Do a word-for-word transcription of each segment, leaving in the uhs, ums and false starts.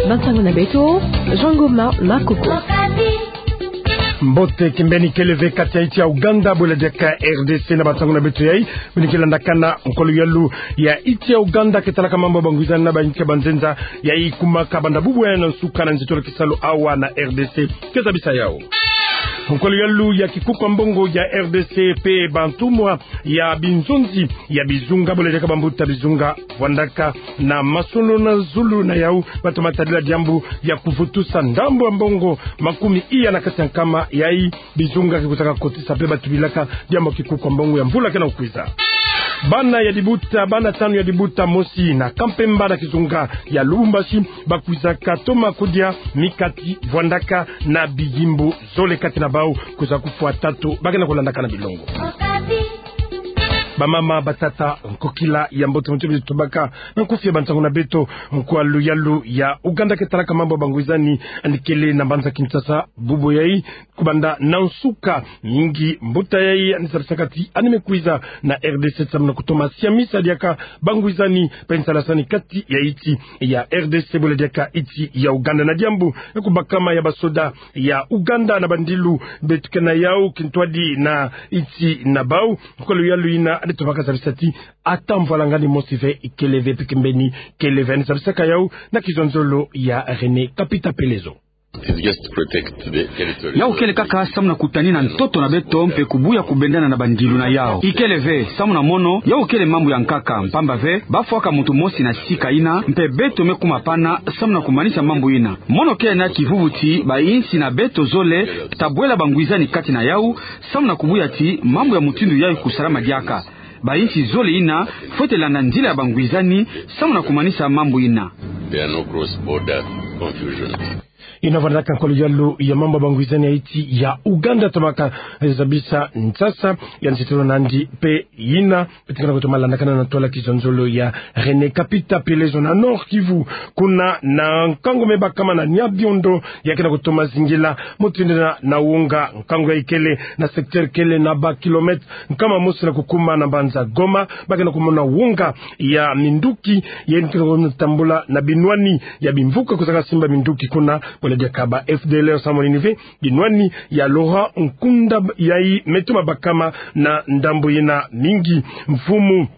Bansango na beto, Jean Ngoma Makoko. Mbote kimbeni, kele ve kati ya insi ya Ouganda, bwela diaka R D C. Na bansango na beto yai, beno ke landakana nkwa luyalu ya insi ya Ouganda ke talaka mambu ya bangwizani na bainsi ya banzenza, yai kumaka banda bubu yai na nsuka na nzitolo kisalu awa na R D C. Ke zabisa yau. Nkwa luyalu ya kikuku ya mbongo ya R D C pe bantumwa ya binzonzi ya bizunga, bwela diaka bambuta bizunga, vwandaka na masolo na zulu na yau, batoma tadila diambu ya kuvutusa ndambu ya mbongo makumi iya na kati ya nkama yai bizunga ke kwizaka kotisa pe batubilaka diambu ya kikuku ya mbongo ya mvula kena kukwiza. Bana ya libuta, bana tanu ya libuta mosi na Kampemba na kizunga ya Lubumbashi, bakwizaka toma kudia mikati, vwandaka na biyimbu zole, kati na bau kwiza kufwa tatu, bakena kulandakana bilongo. Bamama, batata, nkokila ya mbote, muntu beno tobaka na nkufi ya bansango na beto, nkwa luyalu ya Ouganda ke talaka mambu ya bangwizani, yandi kele na mbanza Kinshasa bubu yai, kubanda na nsuka. Mingi mbuta yai yandi zabisaka ti yandi me kwiza na R D C samu na kutoma siamisa diaka bangwizani pe nsalasani kati ya insi ya R D C, bwela diaka insi ya Ouganda, na diambu ya kubakama ya basoda ya Ouganda na bandilu beto ke na yau kintwadi na insi na bau. Nkwa luyalu yina yandi tobaka zabisa ti ata mvwalangani mosi ve ikele ve, pe kimbeni kele ve. Yandi zabisaka yau na kizonzolo ya René Kapita Pelezo. It is just to protect the territory. Yau kele kaka samu na kutanina ntoto na beto mpe kubuya kubendana na bandilu na yau. Ikele ve, samu na mono, yau kele mambu ya nkaka, mpamba ve, bafwaka muntu mosi na sika yina, mpe beto me kuma pana samu na kumanisa mambu yina. Mono kele na kivuvu ti bainsi na beto zole, tabwela bangwizani kati na yau, samu na kubuya ti mambu ya mutindu yai kusalama diaka. Bainsi zole yina fwete landa nzila ya bangwizani samu na kumanisa mambu yina. There are no cross-border confusions. Yina vwandaka nkwa luyalu ya mambu ya bangwizani ya insi ya Ouganda tomaka zabisa nsasa ya nzitolo nandi pe yina. Beto ke na kutoma landakana na ntwala kizonzolo ya René Kapita Pelezo. Na Nord-Kivu, kuna na nkangu me bakama na Nyabiondo, ya ke na kutoma zingila mutindu yina na wonga. Nkangu yai kele na secteur kele na ba kilomètre nkama mosi na kukuma na mbanza Goma, ba ke na kumona wonga ya minduki, yai ke na kutambula na binwani ya bimvuka kwizaka simba minduki kuna, bwela diaka ba F D L R samu na nini ve binwani ya Laurent Nkunda yai me toma bakama na ndambu yina. Mingi mfumu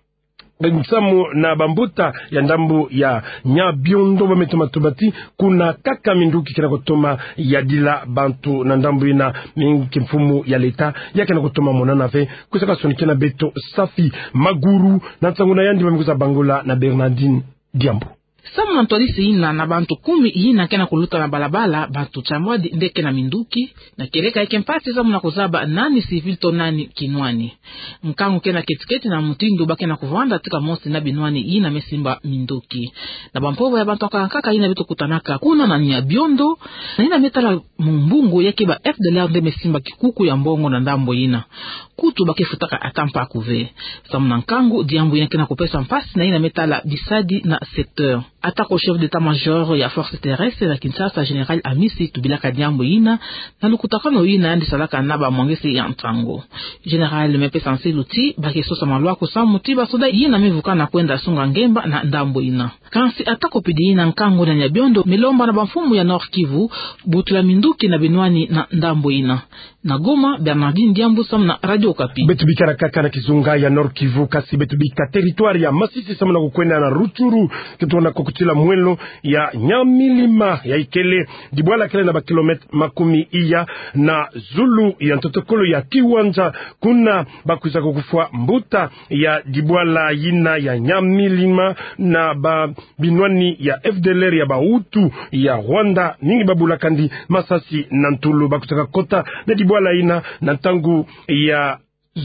nsamu na bambuta ya ndambu ya Nyabiondo ba me toma tuba ti kuna kaka minduki ke na kutoma yadila bantu na ndambu yina. Mingi kimfumu ya leta ya ke na kutoma monana ve. Kwizaka sonikena beto Safi Maguru na nsangu na yandi ba me kwiza bangula na Bernardine Diambu. Samu na ntwadisi yina, na bantu kumi yina ke na kuluta na balabala, bantu tiambwadi nde ke na minduki, na kieleka yai ke mpasi samu na kuzaba nani civil to nani kinwani. Nkangu ke na keti-keti na mutindu ba ke na kuvwanda tika mosi na binwani yina me simba minduki. Na bampova ya bantu ya nkaka yina beto kutanaka kuna na Nyabiondo, na yina me tala mumbungu ya ke ba F D L R nde me simba kikuku ya mbongo na ndambu yina. Kutu ba ke futaka ata mpaku ve. Samu na nkangu, diambu yina ke na kupesa mpasi na yina me tala bisadi na secteur. Atako chef d'état-major ya force terrestre na Kinshasa, Général Amisi, tubilaka diambu yina na lukutakanu yina yandi salaka na bamwangisi ya nsangu. Général me pesa nsilu ti ba ke sosa malwaku samu ti basoda yina me vukana kwenda sunga ngemba na ndambu yina. Kansi atako pidi yina, nkangu na Nyabiondo me lomba na bamfumu ya Nord-Kivu butula minduki na binwani na ndambu yina. Na Goma, Bernardine Diambu samu na Radio Okapi. Beto bikana kaka na kizunga ya Nord-Kivu, kasi beto bika territoire ya Masisi samu na kukwenda na Rutshuru, ke tona kukutila mwelo ya Nyamilima, yai kele dibwala kele na ba kilomètre makumi iya na zulu ya ntotokolo ya Kiwanja. Kuna ba kwiza kukufwa mbuta ya dibwala yina ya Nyamilima na ba binwani ya F D L R ya ba Hutu ya Rwanda. Mingi ba bula kandi masasi na ntulu. Ba kwizaka kota na dibwala yina na ntangu ya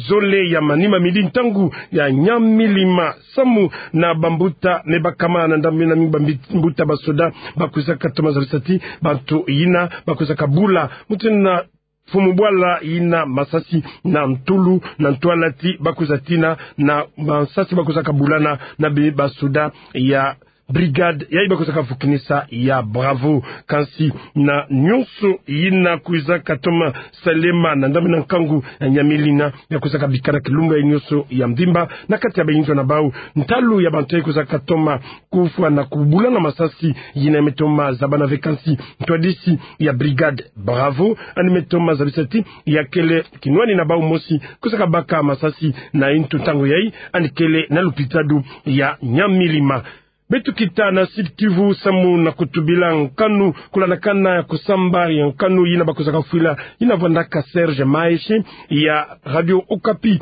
zole ya manima, midi, ntangu ya Nyamilima, samu na bambuta me bakama na ndambu yina. Mingi bambi-, mbuta basoda ba kwizaka toma zabisa ti bantu yina ba kwizaka bula mutindu na mfumu bwala yina masasi na ntulu, na ntwala ti ba kwiza tina na masasi ba kwizaka bulana na be basoda ya brigade yayi bakwizaka vukinisa ya Bravo. Kansi na nyonso yina kwizaka toma salema na ndambu na nkangu ya Nyamilima, ya kwizaka bika na kilumbu yayi nyonso ya mvimba na kati ya bayinzo na bau. Ntalu ya bantu yayi kwizaka toma kufwa na kubulana masasi, yina me toma zabana ve, kansi ntwadisi ya brigade Bravo yandi me toma zabisa ti ya kele kinwani na bau mosi kwizaka baka masasi na ntu ntangu yayi, yandi kele na lupitalu ya Nyamilima. Beto kita na Sud-Kivu samu na kutubila nkanu kulandakana ya kusamba ya nkanu yina bakwizaka fwila, yina vwandaka Serge Maheshe ya Radio Okapi.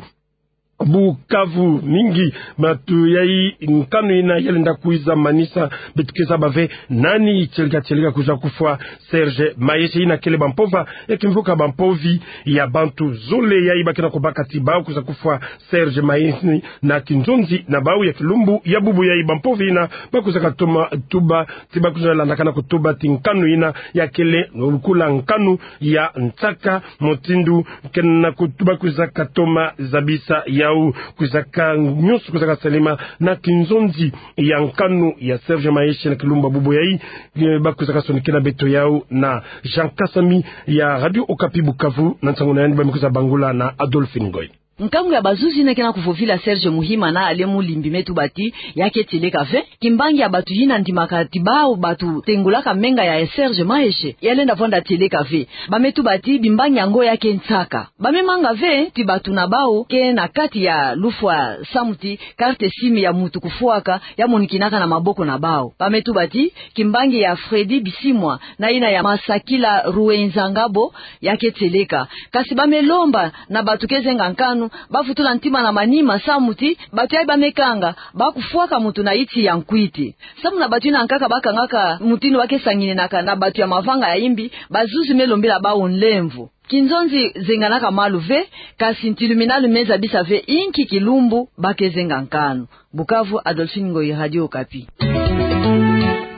Bukavu, mingi bantu yayi nkanu yina yalenda kwiza manisa. Beto ke zaba ve nani tieleka tieleka kwiza kufwa Serge Maheshe. Yina kele bampova ya kimvuka bampovi ya bantu zole yayi bakena kubaka ti bau kwiza kufwa Serge Maheshe na kinzonzi na bau ya kilumbu ya bubu yayi. Bampova yina bakwizaka toma tuba ti bakwiza landakana kutuba ti nkanu yina ya kele lukula nkanu ya nsaka, mutindu kena kutuba kwizaka toma zabisa yau, kwizaka nyonso kwizaka salema na kinzonzi ya nkanu ya Serge Maheshe na kilumbu ya bubu yayi. Eh, bakwizaka sonikena beto yau na Jean Kasami ya Radio Okapi Bukavu, na nsangu na yandi ba me kwiza bangula na Adolphine Ngoy. Nkangu ya bazuzi yina kena kuvovila Serge Muhima na Alain Mulimbi me tuba ti ya ke tieleka ve. Kimbangi ya bantu yina ndimaka ti bau bantu tengolaka menga ya Serge Maheshe yalenda vwanda tieleka ve. Ba me tuba ti bimbangi yango ya ke nsaka. Ba me manga ve ti bantu na bau ke na kati ya lufwa samu ti carte SIM ya muntu kufwaka ya monikinaka na maboko na bau. Ba me tuba ti kimbangi ya Freddy Bisimwa na yina ya Masakila Ruenzangabo ya ke tieleka. Kansi ba me lomba na bantu ke zenga nkanu bavutula ntima na manima samu ti bantu yayi ba me kanga bakufwaka muntu na nti ya nkwiti. Samu na bantu yina nkaka bakangaka mutindu ba ke sangininaka na bantu ya mavanga ya imbi, bazuzi me lombila bau nlemvo. Kinzonzi zenganaka malu ve, kansi ntilu mina lu me zabisa ve inki kilumbu ba ke zenga nkanu. Bukavu, Adolphine Ngoy, Radio Okapi.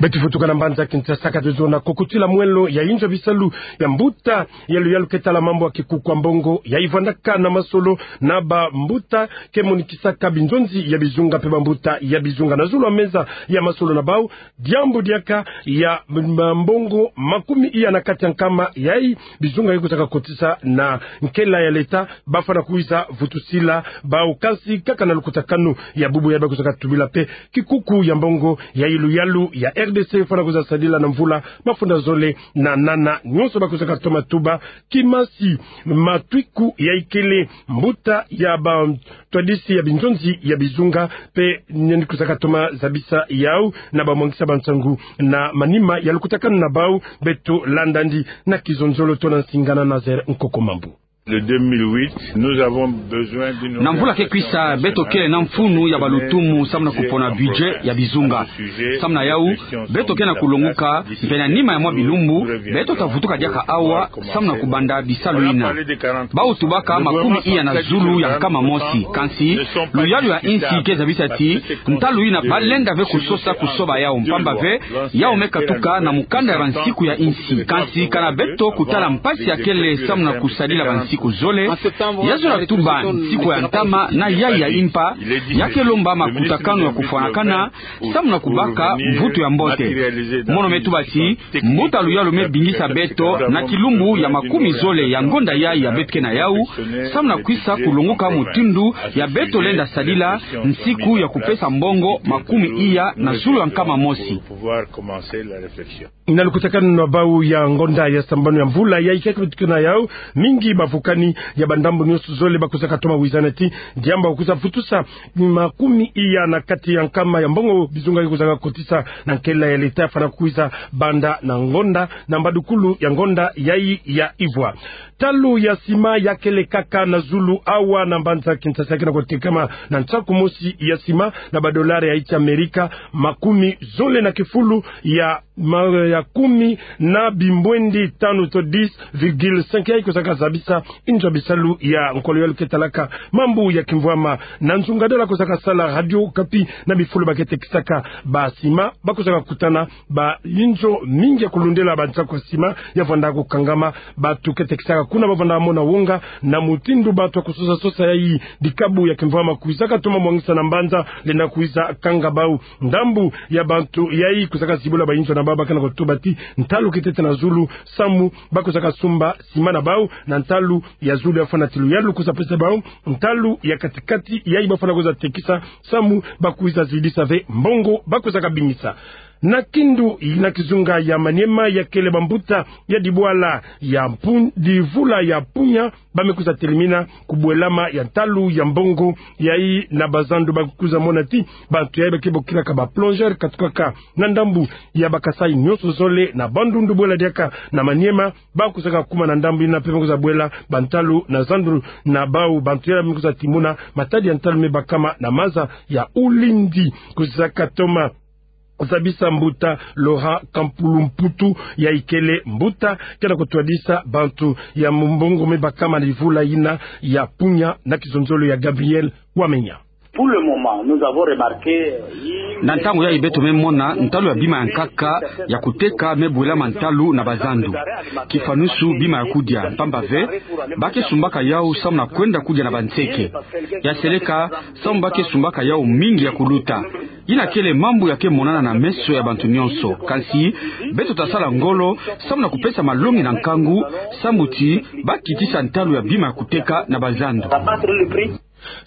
Beto vutuka na mbanza Kinshasa, ka tuzona kokotila mwelo ya inzo bisalu ya mbuta ya luyalu ke tala mambu ya kikuku ya mbongo yayi vwandaka na masolo na bambuta ke monikisaka binzonzi ya bizunga mpe bambuta ya bizunga. Na zulu ya meza ya masolo na bau, diambu diaka ya m-, mbongo makumi iya na kati ya nkama yayi bizunga yayi kwizaka kotisa na nkela ya leta, bafwana kwiza vutusila bau. Kansi kaka na lukutakanu ya bubu yayi bakwizaka tubila mpe kikuku ya mbongo yayi luyalu ya R D C fwana kwiza sadila na mvula mafunda zole na nana, nyonso bakwizaka toma tuba kimasi matwiku yayi kele mbuta ya bantwadisi ya binzonzi ya bizunga mpe yandi kwizaka toma zabisa yau na bamwangisa bansangu na manima ya lukutakanu na bau. Beto landa yandi na kizonzolo tona nsingana Nazaire Nkoko Mambu. Le deux mille huit, nous avons besoin d'une... Na mvula ke kwisa, beto kele na mfunu ya balutumu samu na kupona budget ya bizunga. Samu na yau, beto ke na kulonguka, mpe na nima ya mwa bilumbu, beto ta vutuka diaka awa samu na kubanda bisalu yina. Bau tubaka makumi iya na zulu ya nkama mosi, kansi luyalu ya insi ke zabisa ti ntalu yina balenda ve kusosa kusoba yau, mpamba ve yau me katuka na mukanda ya bansiku ya insi. Kansi kana beto kutala mpasi ya kele samu na kusadila bansiku zole, ya zola tuba nsiku ya ntama na yayi ya impa, ya ke lomba makutakanu ya kufwanakana samu na kubaka mvutu ya mbote. Mono me tuba ti mbuta luyalu me bingisa beto na kilumbu ya makumi zole ya ngonda yayi ya beto ke na yau, samu na kwisa kulonguka mutindu ya beto lenda sadila nsiku ya kupesa mbongo makumi iya na zulu ya nkama mosi. Na lukutakanu na bau ya ngonda ya sambanu ya mvula yayi ke beto ke na yau, mingi bavukani ya bandambu nyonso zole bakwizaka toma wizana ti diambu ya kwiza vutusa makumi iya na kati ya nkama ya mbongo bizunga yayi kwizaka kotisa na nkela ya leta fwana kwiza banda na ngonda, na mbadukulu ya ngonda yayi ya ivwa. Ntalu ya sima ya kele kaka na zulu awa na mbanza Kinshasa, ke na kutekama na nsaku mosi ya sima na badolari ya insi Amerika makumi zole na kifulu ya ma-, ya kumi na bimbwendi tanu to dix virgule cinq yayi kozaka zabisa inzo ya bisalu ya nkolo yalu ke talaka mambu ya kimvwama. Na nzungadala kozaka sala Radio Okapi na bifulu ba ke tekisaka ba sima, ba kozaka kutana ba inzo mingi ya kulundela ba nsaku ya sima ya vwanda kukangama. Bantu ke tekisaka kuna ba vwanda mona wonga na mutindu bantu ya kusosa sosa yayi dikabu ya kimvwama kwizaka toma mwangisa na mbanza lenda kwiza kanga bau. Ndambu ya bantu yayi kozaka zibula ba inzo na bau ba ke na kutuba ti ntalu kitete na zulu, samu ba kozaka sumba sima na bau na ntalu ya zulu ya fwana ti luyalu kwiza pesa bau, ntalu ya katikati yayi ba fwana kwiza tekisa, samu ba kwiza zidisa ve mbongo ba kozaka bimisa. Na kindu na kizunga ya Maniema ya kele bambuta ya dibwala ya Pun-, divula ya Punya, ba me kwiza telimina kubwelama ya ntalu ya mbongo yayi na bazandu. Ba kwiza mona ti bantu yayi ba ke bokilaka ba plongeur katukaka na ndambu ya ba Kasaï nyonso zole na Bandundu bwela diaka na Maniema, ba kwizaka kuma na ndambu yina mpe ba kwiza bwela bantalu na zandu na bau. Bantu yayi ba me kwiza timuna matadi ya ntalu me bakama na maza ya Ulindi. Kwizaka toma zabisa mbuta Laurent Kampulu Mputu, yayi kele mbuta ke na kutwadisa bantu ya mbongo me bakama na divula yina ya Punya, na kizonzolo ya Gabriel Wamenya. Pour le moment, nous avons remarqué, euh, na ntangu yayi beto me mona ntalu ya bima ya nkaka ya kuteka me bwelama ntalu na bazandu. Kifanusu bima ya kudia, mpamba ve ba ke sumbaka yau samu na kwenda kudia na banseke. Ya seleka, samu ba ke sumbaka yau mingi ya kuluta. Yina kele mambu ya ke monana na meso ya bantu nyonso. Kansi beto ta sala ngolo samu na kupesa malongi na nkangu, samu ti ba kitisa ntalu ya bima ya kuteka na bazandu.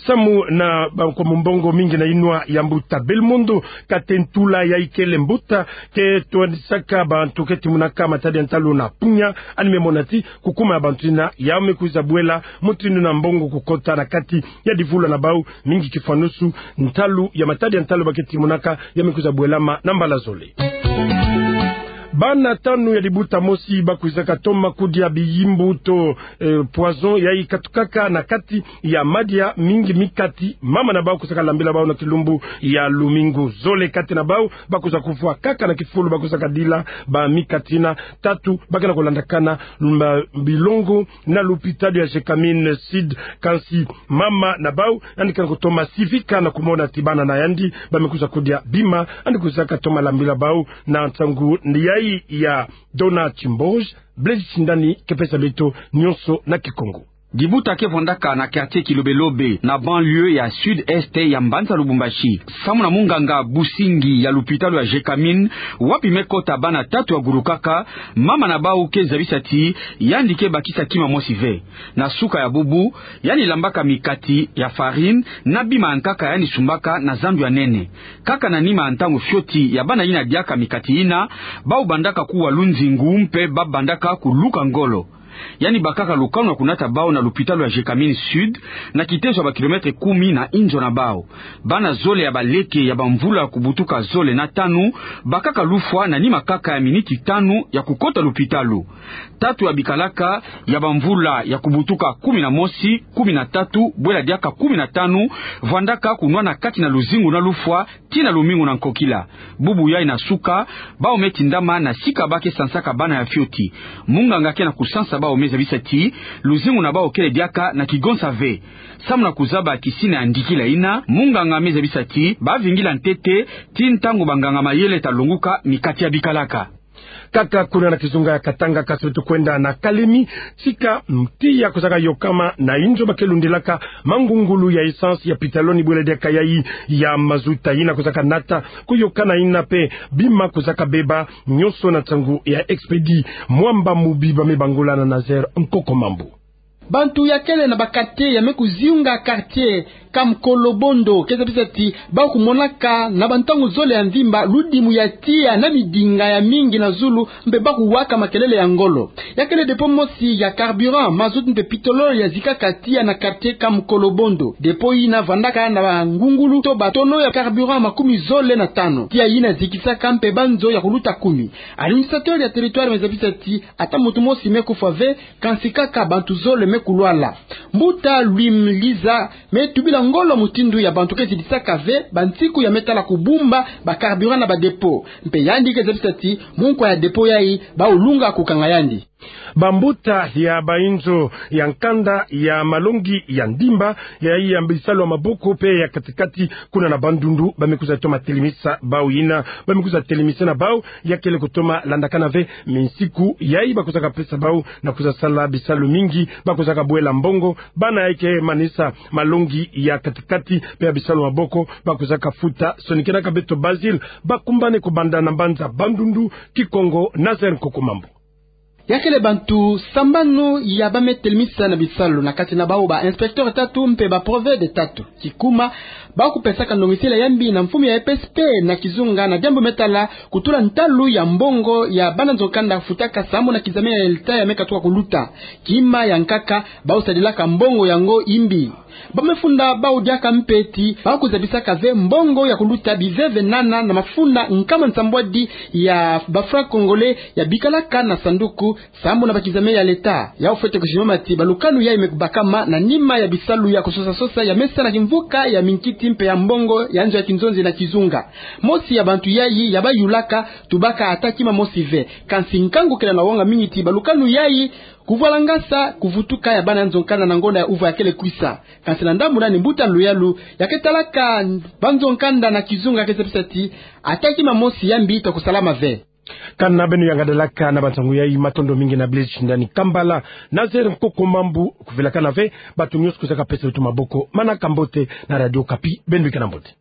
Samu na ba-, kwa mbongo mingi na yinwa ya mbuta Belmondo Katentula, yayi kele mbuta ke twadisaka bantu ke timunaka matadi ya ntalu na Punya, yandi me mona ti kukuma ya bantu yina ya me kwiza bwela mutindu na mbongo kukota na kati ya divula na bau, mingi kifanusu ntalu ya matadi ya ntalu ba ke timunaka ya me kwiza bwelama na mbala zole. Bana tanu ya dibuta mosi ba kwizaka toma kudia biyimbu to, eh, poison yayi katukaka na kati ya madia, mingi mikati mama na bau kwizaka lambila bau na kilumbu ya lumingu. Zole kati na bau ba kwiza kufwa kaka na kifulu ba kwizaka dila ba mikati yina. Tatu ba ke na kulandakana mba-, bilongo na lupitalu ya Gécamines Sud, kansi mama na bau yandi ke na kutoma sivika na kumona ti bana na yandi ba me kwiza kudia bima. Yandi kwizaka toma lambila bau na nsangu yayi ya Dona Chimboge. Blaise Shindani ke pesa beto nyonso na Kikongo. Dibuta ke vwandaka na quartier Kilobelobe, na banlieue ya sud-est ya mbanza Lubumbashi. Samu na munganga Busingi ya lupitalu ya Gécamines, wapi me kota bana tatu ya gulukaka, mama na bau ke zabisa ti yandi ke bakisa kima mosi ve. Na suka ya bubu, yandi lambaka mikati ya farine na bima ya nkaka yandi sumbaka na zandu ya nene. Kaka na nima ya ntangu fioti ya bana yina diaka mikati yina, bau bandaka kuwa lunzingu mpe ba bandaka kuluka ngolo. Yandi bakaka lukanu ya kunata bau na lupitalu ya Gécamines Sud, na kitezo ya ba kilomètre kumi na inzo na bau. Bana zole ya baleke ya bamvula ya kubutuka zole na tanu bakaka lufwa na nima kaka ya miniti tanu ya kukota lupitalu. Tatu ya bikalaka ya bamvula ya kubutuka kumi na mosi, kumi na tatu, bwela diaka kumi na tanu, vwandaka kunwana kati na luzingu na lufwa tii na lumingu na nkokila. Bubu yayi na suka, bau me tindama na sika ba ke sansaka bana ya fioti. Munganga ke na kusansa bau me zabisa ti luzingu na bau kele diaka na kigonsa ve. Samu na kuzaba kisina ya ndikila yina, munganga me zabisa ti ba vingila ntete tii ntangu banganga mayele ta longuka mikati ya bikalaka. Kaka kuna na kizunga ya Katanga, kasi beto kwenda na Kalemi, tika tiya kwizaka yokama na inzo ba ke lundilaka mangungulu ya essence ya pitaloni bwela diaka yayi ya mazuta, yina kwizaka nata kuyokana, yina mpe bima kwizaka beba nyonso na nsangu ya Expedit Mwamba Mubi. Ba me bangula na Nazaire Nkoko Mambu. Bantu ya kele na ba quartier ya me kuziunga quartier Kamkolobondo ke zabisa ti ba kumonaka na bantangu zole ya mvimba ludimu ya tiya na midinga ya mingi na zulu, mpe ba kuwaka makelele ya ngolo. Ya kele dépôt mosi ya carburant, mazout mpe pitololo ya zikaka tiya na quartier Kamkolobondo. Dépôt yina vwandaka na bangungulu to ba tonneau ya carburant makumi zole na tanu. Tiya yina zikisaka mpe banzo ya kuluta kumi. Administrateur ya territoire me zabisa ti ata muntu mosi me kufwa ve, kansi kaka bantu zole kulwala. Mbuta Louis Mliza me tubila ngolo mutindu ya bantu ke zibisaka ve bansiku ya me tala kubumba ba carburant na ba dépôt. Mpe yandi ke zabisa ti munkwa ya dépôt yayi bawu lunga kukanga yandi. Bambuta ya bayinzo ya nkanda ya malongi ya ndimba, yayi ya bisalu ya maboko mpe ya kati-kati kuna na Bandundu, ba me kwiza toma telemisa bawu yina, ba me kwiza telemisa na bawu ya kele kutoma landakana ve minsiku yayi ba kwizaka pesa bawu na kwiza sala bisalu mingi, ba kwizaka bwela mbongo, bana yayi ke manisa malongi ya kati-kati mpe ya bisalu ya maboko, ba kwizaka futa. Sonikenaka beto Basile, bakumbane kubanda na mbanza Bandundu, Kikongo, Nazaire Nkokomambu. Ya kele bantu sambanu ya ba me telemisa na bisalu, na kati na bawu ba inspecteur tatu mpe ba provede tatu. Kikuma, bawu kupesaka ndongisila ya mbi na mfumu ya E P S P na kizunga na diambu me tala kutula ntalu ya mbongo ya bana nzo nkanda futaka sambu na kizame ya leta ya me katuka kuluta. Kima ya nkaka, bawu sadilaka mbongo yango imbi. Ba me funda bawu diaka mpe ti bawu kuzabisaka ve mbongo ya kuluta biveve nana na mafunda nkama nsambwadi ya ba francs congolais ya bikalaka na sanduku sambu na ba kizame ya leta. Yawu fwete kusimama ti balukanu yayi me kubakama na nima ya bisalu ya kusosa-sosa ya me sa na kimvuka ya minkiti mpe ya mbongo ya nzo ya kinzonzi na kizunga. Mosi ya bantu yayi ya bayulaka, tubaka ata kima mosi ve. Kansi nkangu kele na wonga mingi ti balukanu yayi kuvwalangasa kuvutuka ya bana nzo nkanda na ngonda ya uva ya kele kwisa. Kansi na ndambu nani, mbuta Luyalu ya ke talaka ba nzo nkanda na kizunga ke zabisa ti ata kima mosi ya mbi ta kusalama ve. Kana beno yangadalaka na bansangu yayi, matondo mingi na Blaise Shindani Kambala, Nazaire Nkokomambu kuvilakana ve, bato nyonso kwizaka pesa beto maboko. Manaka mbote na Radio Okapi, beno bikana mbote.